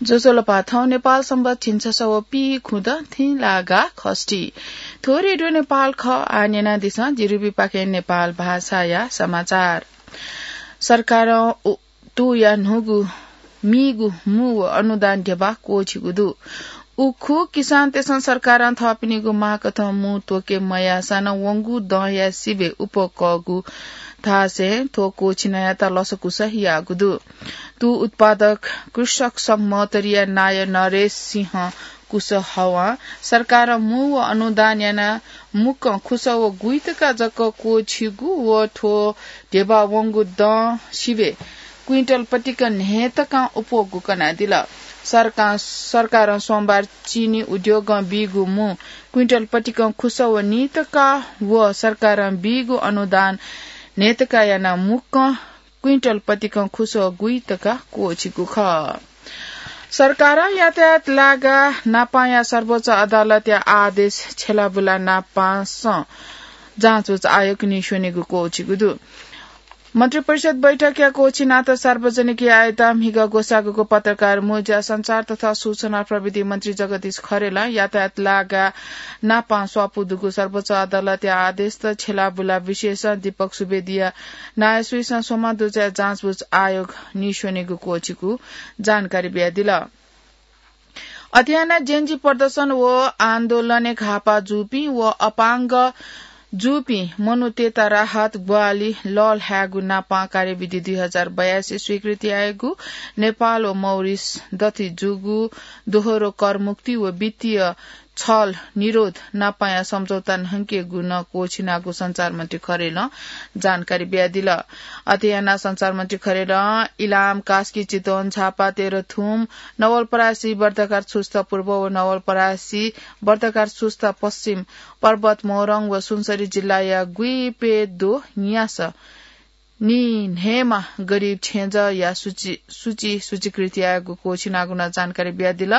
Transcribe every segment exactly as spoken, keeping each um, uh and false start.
ज्वजलपा, थौं नेपाल संवत् झिंछसः व पीखुदँ थिंलागा खष्ठी। थ्व रेडियो नेपाल खः, आः न्यनादिसँ जिरिबीपाखें नेपाल भाषाया समाचार। सरकारं उ-, तुया न्हूगु मीगु मू व अनुदान ध्यबा क्वःछिगु दु। उखु किसानतय्सं सरकारं थःपिनिगु मागकथं मू त्वके मयाःसां नं वंगु दँया सिबय् उपकःगु धासें थ्व क्वःछिनायात लसकुस याःगु दु। तू उत्पादक कृषक संघ महोत्तरीया नायः नरेश सिंह कुशवाहां सरकारं मू व अनुदान यानाः मुक्कं खुसः व गुइतका जक क्वःछिगु व थ्व ध्यबा वंगु दँ सिबय् क्विन्टल पतिकं न्हय्तकं उपकःगु कनादिल। सरकार, सरकारं सोमबार चिनी उद्योगं बीगु मू क्विन्टल पतिकं खुसः व नीतका व सरकारं बीगु अनुदान न्हय्तका यानाः मुक्कं क्विन्टल पतिकं खुसः व गुइतका क्वःछिगु खः। सरकारं यातायात लागा नापांया सर्वोच्च अदालतया आदेश छ्यलाबुला नापांसं जाँचबुझ आयोग नीस्वनेगु क्वःछिगु दु। मन्त्रिपरिषद बैठकया क्वःछिनात सार्वजनिक यायेत म्हिगः ग्वसाःगु पत्रकार मुंज्या सञ्चार तथा सूचना प्रविधि मन्त्री जगदीश खरेलं यातायात लागा नापां स्वापू दुगु सर्वोच्च अदालतया आदेशत छ्यलाबुला विशेषज्ञ दीपक सुवेदीया नायःसुइसं स्वम्ह दुजःया जाँचबुझ आयोग नीस्वनेगु क्वःछिगु जानकारी बियादिल। अथे यानाः जेन्जी प्रदर्शन व आन्दोलनय् घाःपाः जूपिं व अपाङ्ग जूपिं मनूतय्त राहत ग्वाहालि लःल्हायेगु नापां कार्यविधि दुई हजार बयासी स्वीकृति यायेगु नेपाल व मौरिस दथुइ जूगु दोहोरो करमुक्ति व वित्तीय छल निरोध नापांया सम्झौता न्हंकेगु नं क्वःछिनागु सञ्चार मन्त्री खरेलं जानकारी बियादिल। अथे यानाः सञ्चार मन्त्री खरेलं इलाम, कास्की, चितवन, झापा, तेह्रथुम, नवलपरासी, बर्दाघाट सुस्ता पूर्व व नवलपरासी, बर्दाघाट सुस्ता पश्चिम, पर्वत मोरङ व सुनसरी जिल्लाया गुइप्यदँ न्यासः निन्हय्मा गरिब छेँजःया सूची, सूची, सूचीकृत यायेगु क्वःछिनागु नं जानकारी बियादिल।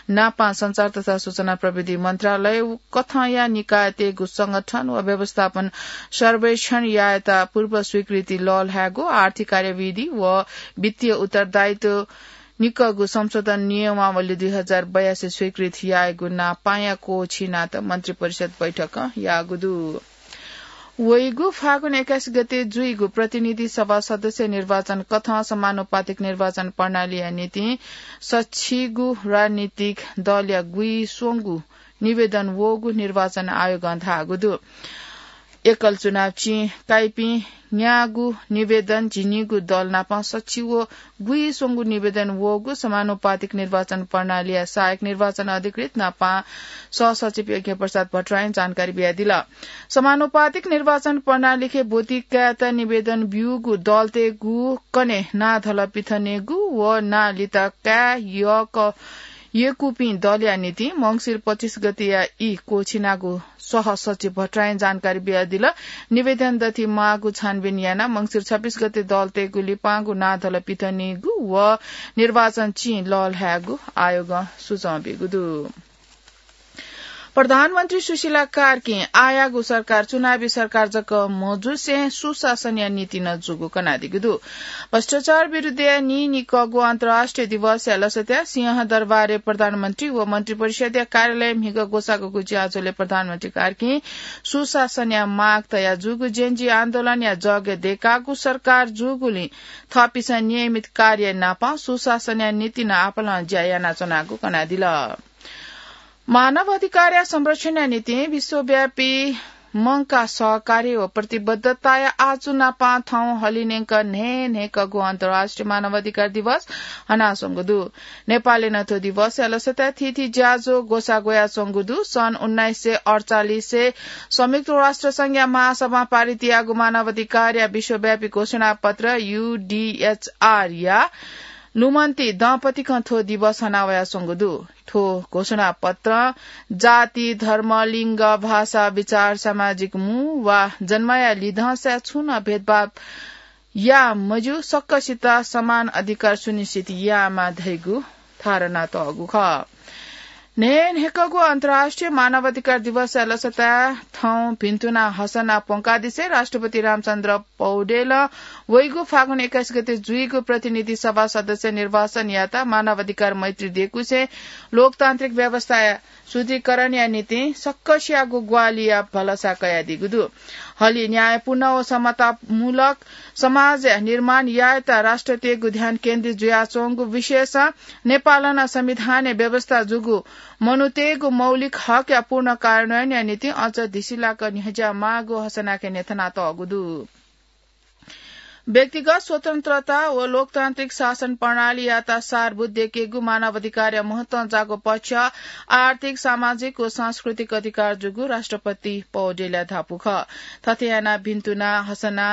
नापां सञ्चार तथा सूचना प्रविधि मन्त्रालय कथंया निकायतय्गु संगठन व व्यवस्थापन सर्वेक्षण यायेत पूर्व स्वीकृति लःल्हायेगु आर्थिक कार्यविधि व वित्तीय उत्तरदायित्व निकःगु संशोधन नियमावली दुई हजार बयासी स्वीकृत यायेगु नापांया क्वःछिनात मन्त्रिपरिषद बैठकं याःगु दु। वइगु फागुन एक्काइस गते जुइगु प्रतिनिधि सभा सदस्य निर्वाचन कथं समानुपातिक निर्वाचन प्रणालीया निंतिं सछिगू राजनीतिक दलया गुइस्वंगू निवेदन वःगु निर्वाचन आयोगं धाःगु दु। एकल चुनाव चिं काइपिं न्यागू निवेदन झिंनिगू दल नाप सछि व गुइस्वंगू निवेदन वःगु समानुपातिक निर्वाचन प्रणालीया सहायक निर्वाचन अधिकृत नाप सहसचिव यज्ञ प्रसाद भट्टराईं जानकारी बियादिल। समानुपातिक निर्वाचन प्रणालीखे ब्वति कायेत निवेदन ब्यूगु दलतय्गु कन्हय् नां धलः पिथनेगु व नां लिता काये यःक यय्कूपिं दलया निंतिं मंसिर पच्चिस गतेया ई क्वःछिनागु सहसचिव भट्टराईं जानकारी बियादिल। निवेदन दथुइ माःगु छानबिन यानाः मंसिर छब्बीस गते दलतय्गु लिपांगु नां धलः पिथनेगु व निर्वाचन चिं लःल्हायेगु आयोगं सुचं ब्यूगु दु। प्रधानमन्त्री सुशीला कार्कीं आःयागु सरकार चुनावी सरकार जक मजुसें सुशासनया निंतिं नं जूगु कनादीगु दु। भ्रष्टाचार विरुद्धया नीनिकःगु अन्तर्राष्ट्रिय दिवसया लसताय् सिंहदरबारय् प्रधानमन्त्री व मन्त्रिपरिषदया कार्यालयय् म्हिगः ग्वसाःगु ज्याझ्वलय् प्रधानमन्त्री कार्कीं सुशासनया माग तयाजूगु जेन्जी आन्दोलनया जगय् दय्कागु सरकार जूगुलिं थःपिन्सं नियमित कार्य नाप सुशासनया निंतिं नं आपालं ज्या यानाच्वनागु कनादिल। मानव अधिकारया संरक्षणया निंतिं विश्वव्यापी मंकाः सहकार्य व प्रतिबद्धताया आचु नाप थौं हलिंन्यंक न्हय्न्हय्कःगु अन्तर्राष्ट्रिय मानव अधिकार दिवस हनाच्वंगु दु। नेपालय् नं थ्व दिवसया लसताय् थीथी ज्याझ्वः ग्वसाः ग्वयाच्वंगु दु। सन् उन्नाइस सय अड्चालिसय् संयुक्त राष्ट्र संघया महासभां पारित याःगु मानव अधिकारया विश्वव्यापी घोषणापत्र, यूडीएचआर, या लुमन्ति दँपतिकं थ्व दिवस हनावयाच्वंगु दु। थ्व घोषणापत्रं जाति, धर्म, लिङ्ग, भाषा, विचार, सामाजिक मू वा जन्मया लिधंसाय् छुं नं भेदभाव याये मज्यू, सकसित समान अधिकार सुनिश्चित यायेमाः धइगु धारणा तःगु खः। न्हय्न्हय्कःगु अन्तर्राष्ट्रिय मानव अधिकार दिवसया लसताय् थौं भिन्तुना हसना प्वंकादिसे राष्ट्रपति रामचन्द्र पौडेलं वइगु फागुन एक्काइस गते जुइगु प्रतिनिधि सभा सदस्य निर्वाचनयात मानवाधिकार मैत्री देकुसे लोकतान्त्रिक व्यवस्थाया सुदृढीकरणया निंतिं सक्कसियागु ग्वाहालिया भलसा कयादीगु दु। हलि न्यायपूर्ण व समतामूलक समाज निर्माण यायेत राष्ट्रतय्गु ध्यान केन्द्रित जुयाच्वंगु विशेष नेपालं संविधानय् व्यवस्था जूगु मनूतय्गु मौलिक हकया पूर्ण कार्यान्वयनया निंतिं अझ धिसिलाक न्ह्यज्याःमाःगु हसनाके न्ह्यथनातःगु दु। व्यक्तिगत स्वतन्त्रता व लोकतान्त्रिक शासन प्रणालीयात सारभूत देकेगु मानवाधिकारया महत्वं जाःगु पक्ष आर्थिक, सामाजिक व सांस्कृतिक अधिकार जूगु राष्ट्रपति पौडेलया धापू खः। थथे यानाः भिन्तुना हसना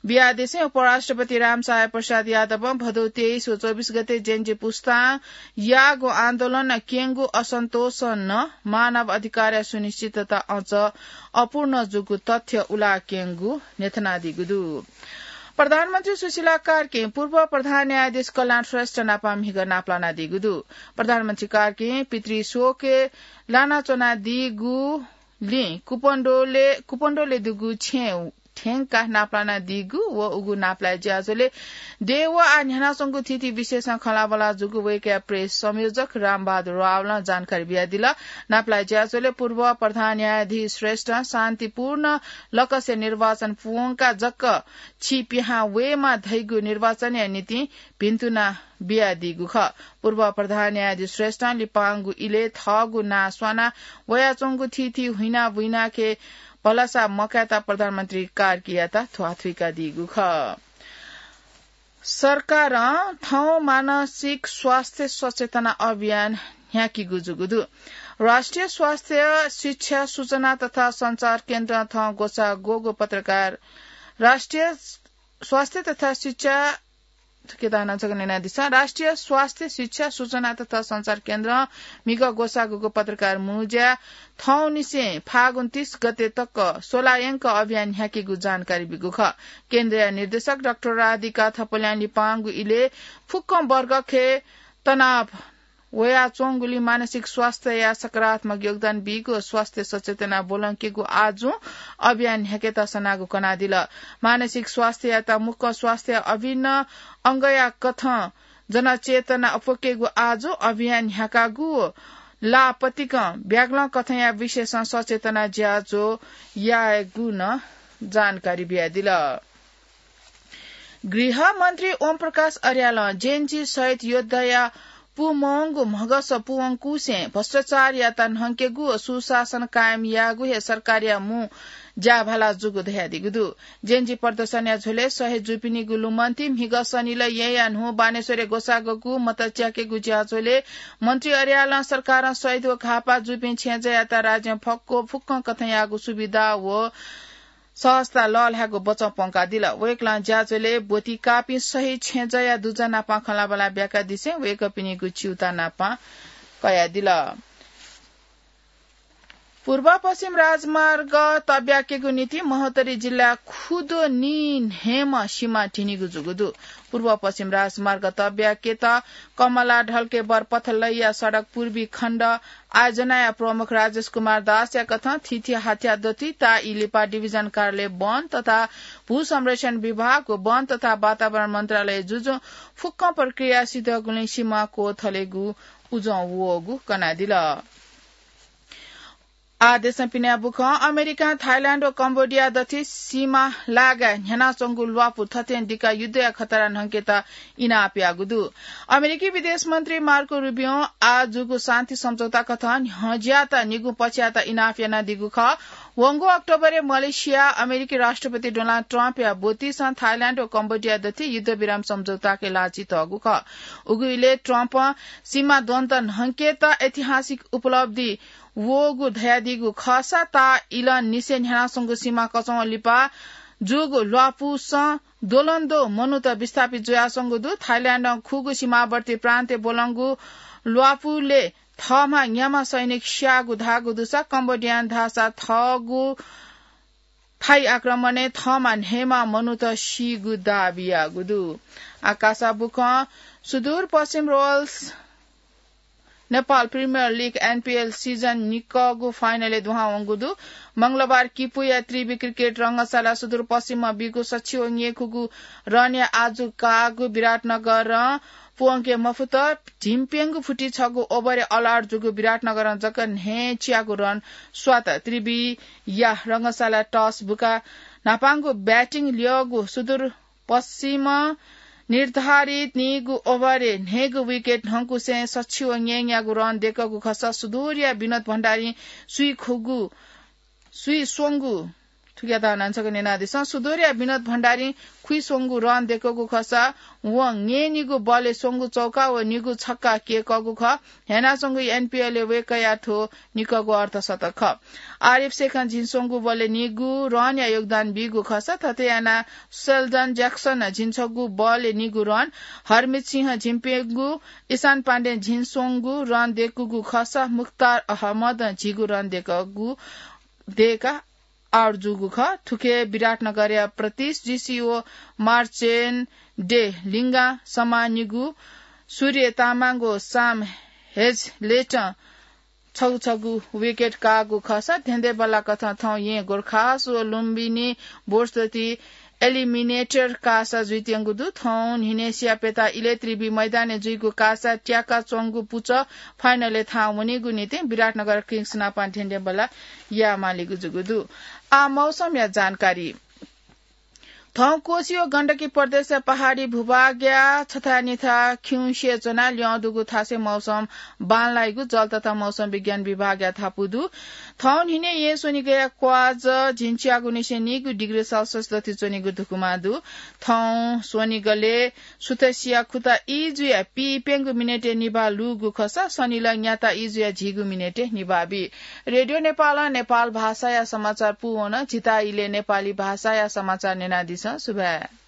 बियादिसें उपराष्ट्रपति रामसहाय प्रसाद यादवं भदौ तेइस व चौबिस गते जेन्जी पुस्तां याःगु आन्दोलनं क्यंगु असन्तोषं नं मानव अधिकारया सुनिश्चितता अझ अपूर्ण जूगु तथ्य उलाक्यंगु न्ह्यथनादीगु दु। प्रधानमन्त्री सुशीला कार्कीं पूर्व प्रधान न्यायाधीश कल्याण श्रेष्ठ नाप म्हिगः नापलानादीगु दु। प्रधानमन्त्री कार्कीं पितृशोकय् लानाच्वनादीगुलिं कुपण्डोले, कुपण्डोले दुगु छेँ थ्यंकाः नापलानादीगु व उगु नापलाये ज्याझ्वलय् देय् व आः न्ह्यानाच्वंगु थीथी विषयसं खँल्हाबल्हा जूगु वय्कःया प्रेस संयोजक रामबहादुर रावलं जानकारी बियादिल। नापलाये ज्याझ्वलय् पूर्व प्रधान न्यायाधीश श्रेष्ठं शान्तिपूर्ण लकसे निर्वाचन प्वंकाः जक छि पिहां वयेमा धइगु निर्वाचनया निंतिं भिन्तुना बियादीगु खः। पूर्व प्रधान न्यायाधीश श्रेष्ठं लिपांगु इलय् थःगु नां स्वाना वयाच्वंगु थीथी हुइना बुइनाके भलसा मकायेत प्रधानमन्त्री कार्कीयात ध्वाथुइकादीगु खः। सरकारं थौं मानसिक स्वास्थ्य सचेतना अभियान न्ह्याकीगु जूगु दु। राष्ट्रिय स्वास्थ्य शिक्षा, सूचना तथा सञ्चार केन्द्रं थौं ग्वसाः ग्वःगु पत्रकार राष्ट्रिय स्वास्थ्य तथा शिक्षा, के दाना जक न्यनादिसँ। राष्ट्रिय स्वास्थ्य शिक्षा, सूचना तथा सञ्चार केन्द्रं म्हिगः ग्वसाः ग्वःगु पत्रकार मुँज्या थौंनिसें फागुन तीस गते तक स्वलायंक अभियान न्ह्याकीगु जानकारी बीगु खः। केन्द्रया निर्देशक डाक्टर राधिका थपलियां लिपांगु इलय् फुक्कं वर्गखे तनाव वयाच्वंगुलिं मानसिक स्वास्थ्यया सकारात्मक योगदान बीगु स्वास्थ्य सचेतना ब्वलंकेगु आजुं अभियान न्ह्याकेत सनागु कनादिल। मानसिक स्वास्थ्ययात मुक्कं स्वास्थ्य अभिन्न अंगया कथं जनचेतना अप्वकेगु आजुं अभियान न्ह्याकागु ला पतिकं ब्यागलं कथंया विषयसं सचेतना ज्याझ्वः यायेगु नं जानकारी बियादिल। गृहमन्त्री ओम प्रकाश अर्यालं जेएनजी शहीद योद्धाया पूमवंगु म्हगस पूवंकुसें भ्रष्टाचारयात न्हंकेगु व सुशासन कायम यायेगु हे सरकारया मू ज्याभाला जूगु धयादीगु दु। जेएनजी प्रदर्शनया झ्वलय् शहीद जूपिनिगु लुमन्ति म्हिगः शनिलय् येँया न्हू बानेश्वरय् ग्वसाः ग्वःगु मत च्याकेगु ज्याझ्वलय् मन्त्री अर्यालं सरकारं शहीद व घाःपाः जूपिं छेँजःयात राज्यं फक्व फुक्कं कथंयागु सुविधा व सहजता लःल्हायेगु बचं प्वंकादिल। वय्कलं ज्याझ्वलय् ब्वति काःपिं शहीद छेँजःया दुजः नाप खँल्हाबल्हा ब्याकादिसें वय्कःपिनिगु च्यूताः नाप कयादिल। पूर्व पश्चिम राजमार्ग तब्याकेगु निंतिं महोत्तरी जिल्ला खुदो नीन्हय्म्ह सिमा धिनीगु जूगु दु। पूर्व पश्चिम राजमार्ग तब्याकेत कमला ढल्के बरपथ लैया सडक पूर्वी खण्ड आयोजनाया प्रमुख राजेश कुमार दासया कथं थीथी हाथ्या दथुइ ताःई लिपा डिभिजन कार्यालय वन तथा भू संरक्षण विभाग व वन तथा वातावरण मन्त्रालय जुजुं फुक्कं प्रक्रिया सिधःगुलिं सिमा क्वथलेगु उजं वःगु कनादिल। आः देशं पिने बुखँ। अमेरिकां थाइल्याण्ड व कम्बोडिया दथुइ सिमा लागाय् न्ह्यानाच्वंगु ल्वापु थथें दिकाः युद्धया खतरा न्हंकेत इनाप याःगु दु। अमेरिकी विदेश मन्त्री मार्को रुबियों आः जूगु शान्ति सम्झौता कथं न्ह्यज्याःत निगू पक्षयात इनाप यानादीगु खः। वंगु अक्टोबरय् मलेसिया अमेरिकी राष्ट्रपति डोनाल्ड ट्रम्पया ब्वतिसं थाइल्याण्ड व कम्बोडिया दथुइ युद्धविराम सम्झौताके लाछि तःगु खः। उगु इलय् ट्रम्पं सिमा द्वन्द्व न्हंकेत ऐतिहासिक उपलब्धि वःगु धयादीगु खःसा ताःइलंनिसें न्ह्यानाच्वंगु सिमा कचंगु लिपा जूगु ल्वापुसं द्वलंद्वः मनूत विस्थापित जुयाच्वंगु दु। थाइल्याण्डं खुगू सिमावर्ती प्रान्तय् ब्वलंगु ल्वापुलय् थःम्हं न्याम्ह सैनिक स्याःगु धाःगु दुसा कम्बोडियां धाःसा थःगु थाइ आक्रमणय् थःम्हं न्हय्म्ह मनूत सीगु दाबी याःगु दु। आकाशय् बुखँ। सुदूरपश्चिम रोल्स नेपाल प्रिमियर लिग, एनपीएल, सिजन निकःगु फाइनलय् दुहां वंगु दु। मंगलबार किपुया त्रिवि क्रिकेट रंगशाला सुदूरपश्चिमं बीगु सछि व न्यय्‌खुगु रनया आजु काःगु विराटनगरं पुवंके मफुत। झिंप्यंगू फुति छगू ओभरय् अल आउट जूगु विराटनगरं जक न्हय्‌च्यागू रन स्वात। त्रिविया रंगशाला टस बुकाः न्हापांगु ब्याटिङ ल्यःगु सुदूर पश्चिमं निर्धारित नीगु ओभरय् न्हय्‌गू विकेट न्हंकुसें सछि व न्यय्‌न्यागू रन देकःगु खःसा सुदूरया विनोद भण्डारीं स्वीखुगु, स्वीस्वंगु, थुकियात नं छकः न्यनादिसँ। सुदूरया विनोद भण्डारीं खुइस्वंगु रन देकःगु खःसा वं न्यय्‌निगू बलय् स्वंगू चौका व निगू छक्का क्यय्‌कःगु खः। ह्यानाच्वंगु एनपीएलय् वय्‌कःया थ्व निकःगु अर्धशतक खः। आरिफ शेखं झिंस्वंगू बलय् निगू रनया योगदान बीगु खःसा थथे यानाः सेल्डन ज्याक्सनं झिंछगू बलय् निगू रन, हरमित सिंहं झिंप्यंगू, ईशान पाण्डें झिंस्वंगू रन देकूगु खःसा मुख्तार अहमदं झिगू रन देकःगु, देकाः आउट जूगु खः। थुखे विराटनगरया प्रतीश जीसी व मार्चेन डे लिंगां समा निगू, सूर्य तामाङ व साम हेजलेटं छगू छगू विकेट काःगु खःसा धेंधेंबल्लाकथं थौं येँ गोर्खास व लुम्बिनी बोर्सदति एलिमिनेटर कासा जुइत्यंगु दु। थौं न्हिनेसिया प्यता इलय् त्रिवि मैदानय् जुइगु कासा त्याकाच्वंगु पुचः फाइनलय् थाहां वनीगु निंतिं विराटनगर किङ्स नाप धेंधेंबल्ला यायेमालीगु जूगु दु। आः मौसमया जानकारी। थौं कोशी व गण्डकी प्रदेशया पहाडी भूभागया छथाय् निथाय् खिउँसे च्वनाः ल्यं दुगु थासय् मौसम बांलाइगु जल तथा मौसम विज्ञान विभागया धापू दु। थौं न्हिनय् येँ स्वनिगःया क्वाज झिंच्यागुनिसें नीगू डिग्री सेल्सियस दथुइ च्वनीगु धुकुमा दु। थौं स्वनिगलय् सुथसिया खुता ई जुयाः पीप्यंगू मिनेटय् निभाः लूगु खःसा सनिलय् न्याता ई जुयाः झिगू मिनेटय् निभाः बी। रेडियो नेपालं नेपाल भाषाया समाचार पूवन। झीत इलय् नेपाली भाषाया समाचार न्यनादिसँ। सुभाय्।